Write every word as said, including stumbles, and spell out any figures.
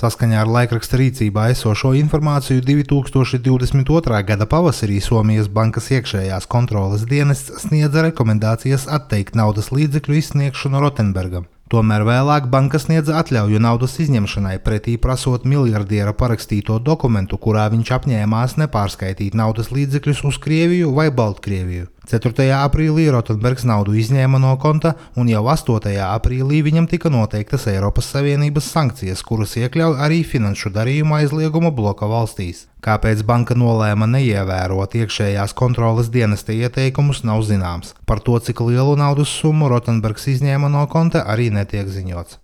Saskaņā ar laikraksta rīcībā esošo informāciju divi tūkstoši divdesmit otrā gada pavasarī Somijas bankas iekšējās kontroles dienests sniedza rekomendācijas atteikt naudas līdzekļu izsniegšanu Rotenbergam. Tomēr vēlāk banka sniedza atļauju naudas izņemšanai, pretī prasot miljardiera parakstīto dokumentu, kurā viņš apņēmās nepārskaitīt naudas līdzekļus uz Krieviju vai Baltkrieviju. ceturtajā aprīlī Rotenbergs naudu izņēma no konta, un jau astotajā aprīlī viņam tika noteiktas Eiropas Savienības sankcijas, kuras iekļauj arī finanšu darījumu aizlieguma bloka valstīs. Kāpēc banka nolēma neievērot iekšējās kontroles dienesta ieteikumus, nav zināms. Par to, cik lielu naudas summu Rotenbergs izņēma no konta, arī netiek ziņots.